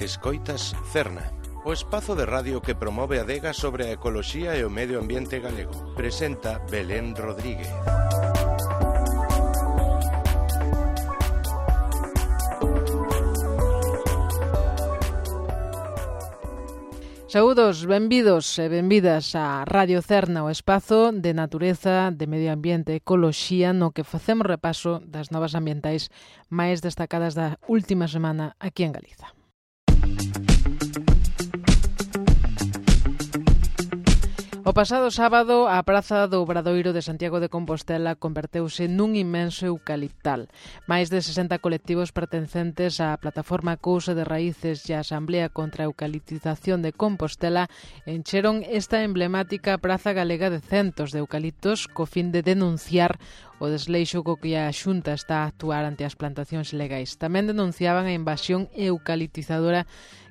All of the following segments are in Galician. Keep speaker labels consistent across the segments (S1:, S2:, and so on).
S1: Escoitas Cerna, o espazo de radio que promove a adega sobre a ecoloxía e o medio ambiente galego. Presenta Belén Rodríguez.
S2: Saúdos, benvidos e benvidas a Radio Cerna, o espazo de natureza, de medio ambiente e ecoloxía no que facemos repaso das novas ambientais máis destacadas da última semana aquí en Galiza. O pasado sábado, a Praza do Obradoiro de Santiago de Compostela converteuse nun inmenso eucaliptal. Máis de 60 colectivos pertencentes á plataforma Cousa de Raíces e a Asamblea contra a Eucaliptización de Compostela encheron esta emblemática praza galega de centos de eucaliptos co fin de denunciar o desleixo co que a Xunta está a actuar ante as plantacións ilegais. Tamén denunciaban a invasión eucaliptizadora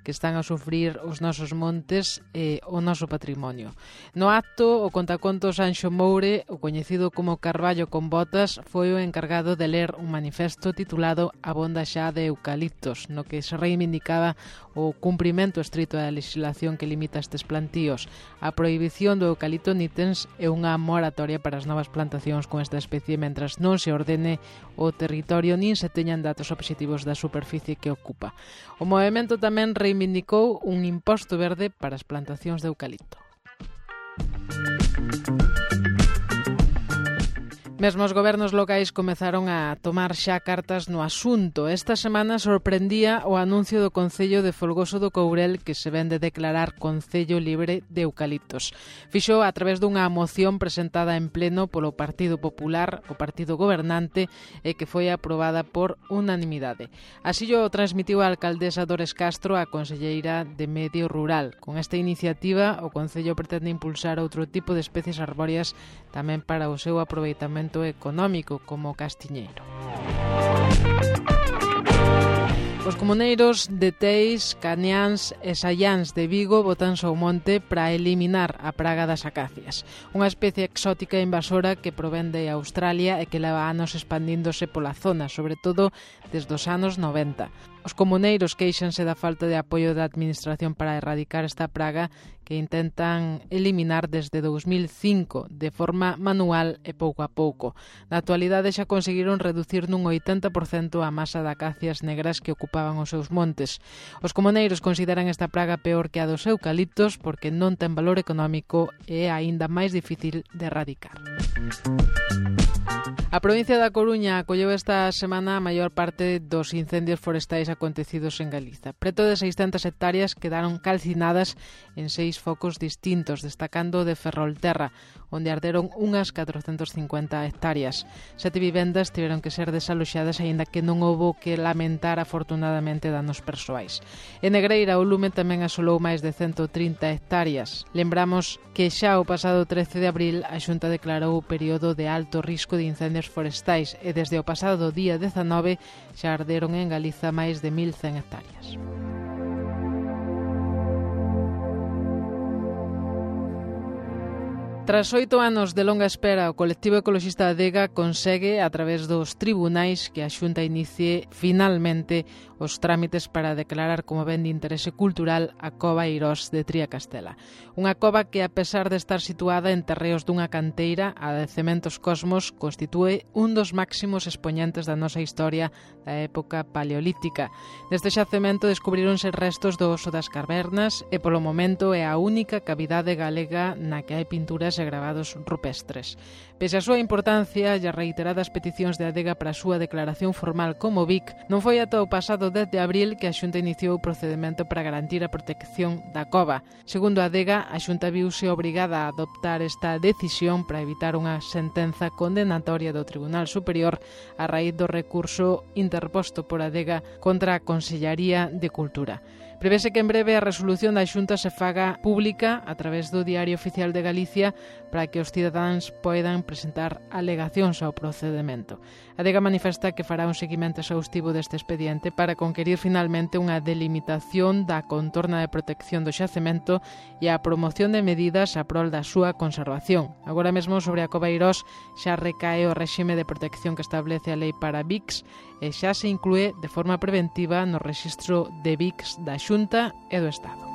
S2: que están a sufrir os nosos montes e o noso patrimonio. No acto, o contacontos Anxo Moure, o coñecido como Carballo con botas, foi o encargado de ler un manifesto titulado Abonda xa de eucaliptos, no que se reivindicaba o cumprimento estrito da legislación que limita estes plantíos, a prohibición do eucalipto nitens e unha moratoria para as novas plantacións con esta especie mentras non se ordene o territorio nin se teñan datos obxectivos da superficie que ocupa. O movemento tamén reivindicou un imposto verde para as plantacións de eucalipto. Mesmo os gobernos locais comezaron a tomar xa cartas no asunto. Esta semana sorprendía o anuncio do Concello de Folgoso do Courel que se ven de declarar Concello libre de eucaliptos. Fixo a través dunha moción presentada en pleno polo Partido Popular, o partido gobernante, e que foi aprobada por unanimidade. Así o transmitiu a alcaldesa Dores Castro á conselleira de Medio Rural. Con esta iniciativa, o Concello pretende impulsar outro tipo de especies arbóreas tamén para o seu aproveitamento económico como castiñeiro. Os comuneiros de Teis, Caniáns e Saiáns de Vigo botanse ao monte para eliminar a praga das acacias, unha especie exótica e invasora que provén de Australia e que leva anos expandíndose pola zona, sobre todo desde os anos 90. Os comuneiros queixanse da falta de apoio da administración para erradicar esta praga que intentan eliminar desde 2005 de forma manual e pouco a pouco. Na actualidade xa conseguiron reducir nun 80% a masa de acacias negras que ocupaban os seus montes. Os comuneiros consideran esta praga peor que a dos eucaliptos porque non ten valor económico e é aínda máis difícil de erradicar. A provincia da Coruña acolleu esta semana a maior parte dos incendios forestais acontecidos en Galiza. Preto de 600 hectáreas quedaron calcinadas en 6 focos distintos, destacando de Ferrolterra, onde arderon unhas 450 hectáreas. 7 vivendas tiveron que ser desaloxadas, aínda que non houbo que lamentar afortunadamente danos persoais. En Negreira, o lume tamén asolou máis de 130 hectáreas. Lembramos que xa o pasado 13 de abril a Xunta declarou o período de alto risco de incendios forestais e desde o pasado día 19 xa arderon en Galiza máis de 1.100 hectáreas. Tras 8 anos de longa espera, o colectivo ecoloxista Adega consegue, a través dos tribunais, que a Xunta inicie finalmente os trámites para declarar como ben de interese cultural a Cova Eirós de Triacastela. Unha cova que, a pesar de estar situada en terreos dunha canteira a de Cementos Cosmos, constitúe un dos máximos expoñentes da nosa historia da época paleolítica. Neste xacemento descubríronse restos do oso das cavernas e, polo momento, é a única cavidade galega na que hai pinturas e gravados rupestres. Pese a súa importancia e as reiteradas peticións de Adega para a súa declaración formal como BIC, non foi ata o pasado 10 de abril que a Xunta iniciou o procedemento para garantir a protección da cova. Segundo a Adega, a Xunta viuse obrigada a adoptar esta decisión para evitar unha sentenza condenatoria do Tribunal Superior a raíz do recurso interposto por Adega contra a Consellaría de Cultura. Prevese que en breve a resolución da Xunta se faga pública a través do Diario Oficial de Galicia para que os cidadáns poidan presentar alegacións ao procedemento. A Adega manifesta que fará un seguimento exhaustivo deste expediente para conquerir finalmente unha delimitación da contorna de protección do xacemento e a promoción de medidas a prol da súa conservación. Agora mesmo sobre a Cova Eirós xa recae o réxime de protección que establece a lei para BICs e xa se inclúe de forma preventiva no rexistro de BICs da Xunta e do Estado.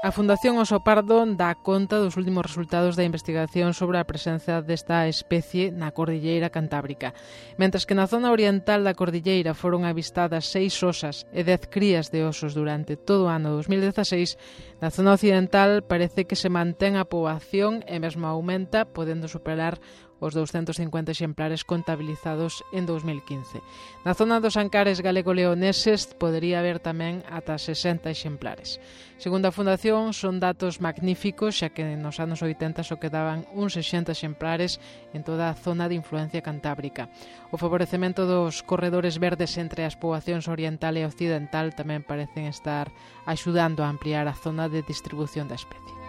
S2: A Fundación Oso Pardo dá conta dos últimos resultados da investigación sobre a presenza desta especie na Cordilleira Cantábrica. Mentres que na zona oriental da Cordilleira foron avistadas 6 osas e 10 crías de osos durante todo o ano 2016, na zona occidental parece que se mantén a poboación e mesmo aumenta, podendo superar os 250 exemplares contabilizados en 2015. Na zona dos Ancares galego-leoneses podería haber tamén ata 60 exemplares. Segundo a Fundación, son datos magníficos, xa que nos anos 80 só quedaban uns 60 exemplares en toda a zona de influencia cantábrica. O favorecemento dos corredores verdes entre as poboacións oriental e occidental tamén parecen estar axudando a ampliar a zona de distribución da especie.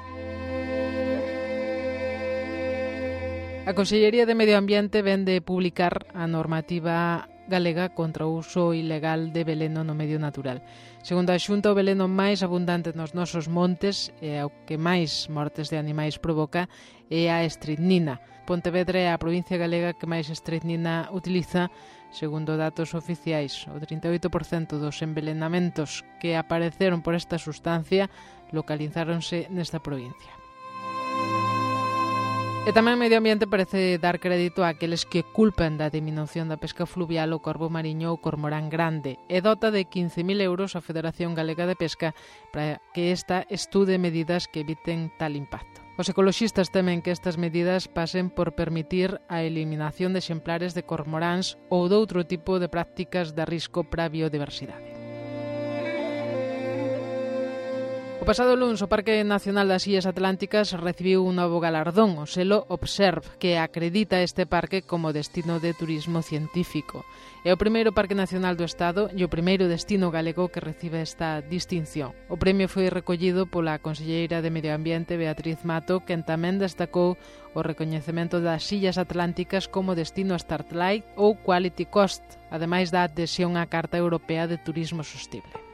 S2: A Consellería de Medio Ambiente ven de publicar a normativa galega contra o uso ilegal de veleno no medio natural. Segundo a Xunta, o veleno máis abundante nos nosos montes e o que máis mortes de animais provoca é a estricnina. Pontevedra é a provincia galega que máis estricnina utiliza, segundo datos oficiais. O 38% dos envenenamentos que apareceron por esta sustancia localizáronse nesta provincia. E tamén Medio Ambiente parece dar crédito a aqueles que culpan da diminución da pesca fluvial o corvo mariño ou cormorán grande e dota de 15.000 euros a Federación Galega de Pesca para que esta estude medidas que eviten tal impacto. Os ecoloxistas temen que estas medidas pasen por permitir a eliminación de exemplares de cormoráns ou de outro tipo de prácticas de risco para a biodiversidade. O pasado luns, o Parque Nacional das Illas Atlánticas recibiu un novo galardón, o selo Observe, que acredita este parque como destino de turismo científico. É o primeiro Parque Nacional do Estado e o primeiro destino galego que recibe esta distinción. O premio foi recollido pola conselleira de Medio Ambiente, Beatriz Mato, quen tamén destacou o recoñecemento das Illas Atlánticas como destino Starlight ou Quality Coast, ademais da adhesión á Carta Europea de Turismo Sostible.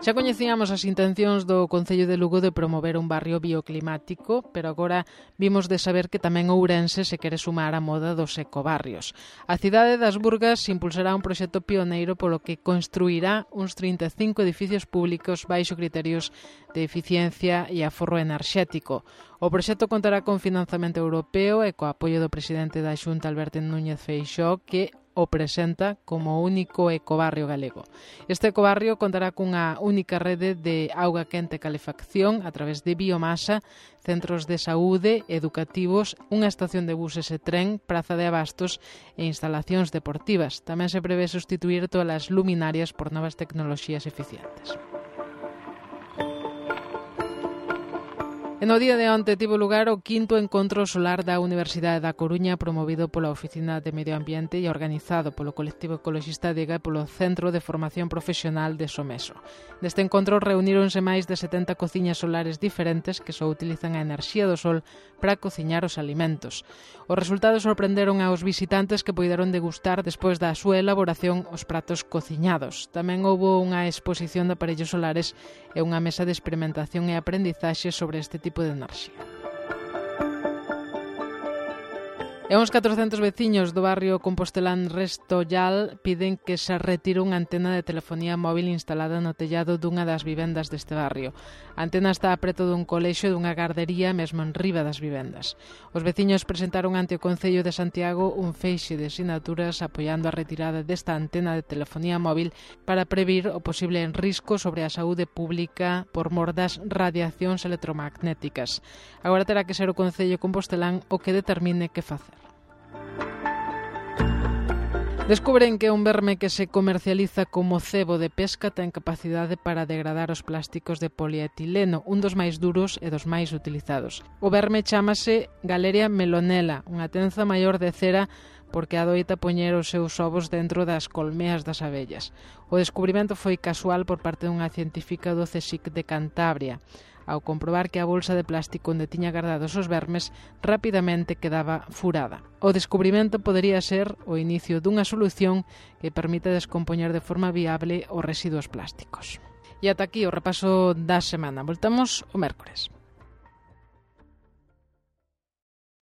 S2: Xa coñecíamos as intencións do Concello de Lugo de promover un barrio bioclimático, pero agora vimos de saber que tamén Ourense se quere sumar á moda dos ecobarrios. A cidade das Burgas impulsará un proxecto pioneiro polo que construirá uns 35 edificios públicos baixo criterios de eficiencia e aforro enerxético. O proxecto contará con financiamento europeo e co apoio do presidente da Xunta, Alberto Núñez Feixóo, que o presenta como o único ecobarrio galego. Este ecobarrio contará cunha única rede de auga quente e calefacción a través de biomasa, centros de saúde, educativos, unha estación de buses e tren, praza de abastos e instalacións deportivas. Tamén se prevé sustituir todas as luminarias por novas tecnoloxías eficientes. E no día de onte tivo lugar o 5º encontro solar da Universidade da Coruña, promovido pola Oficina de Medio Ambiente e organizado polo colectivo ecologista Adega e polo Centro de Formación Profesional de Someso. Neste encontro reuníronse máis de 70 cociñas solares diferentes que só utilizan a enerxía do sol para cociñar os alimentos. Os resultados sorprenderon aos visitantes que poideron degustar despois da súa elaboración os pratos cociñados. Tamén houbo unha exposición de aparellos solares e unha mesa de experimentación e aprendizaxe sobre este tipo de enerxía. E uns 400 veciños do barrio compostelán Restollal piden que se retire unha antena de telefonía móvil instalada no tellado dunha das vivendas deste barrio. A antena está preto dun colexio e dunha gardería mesmo en riba das vivendas. Os veciños presentaron ante o Concello de Santiago un feixe de sinaturas apoiando a retirada desta antena de telefonía móvil para previr o posible risco sobre a saúde pública por mor das radiacións electromagnéticas. Agora terá que ser o Concello compostelán o que determine que facer. Descubren que un verme que se comercializa como cebo de pesca ten capacidade para degradar os plásticos de polietileno, un dos máis duros e dos máis utilizados. O verme chámase Galeria melonella, unha tenza maior de cera porque adoita poñer os seus ovos dentro das colmeas das abellas. O descubrimento foi casual por parte dunha científica do CSIC de Cantabria. Ao comprobar que a bolsa de plástico onde tiña guardados os vermes rapidamente quedaba furada. O descubrimento podería ser o inicio dunha solución que permite descompoñer de forma viable os residuos plásticos. E ata aquí o repaso da semana. Voltamos o mércores.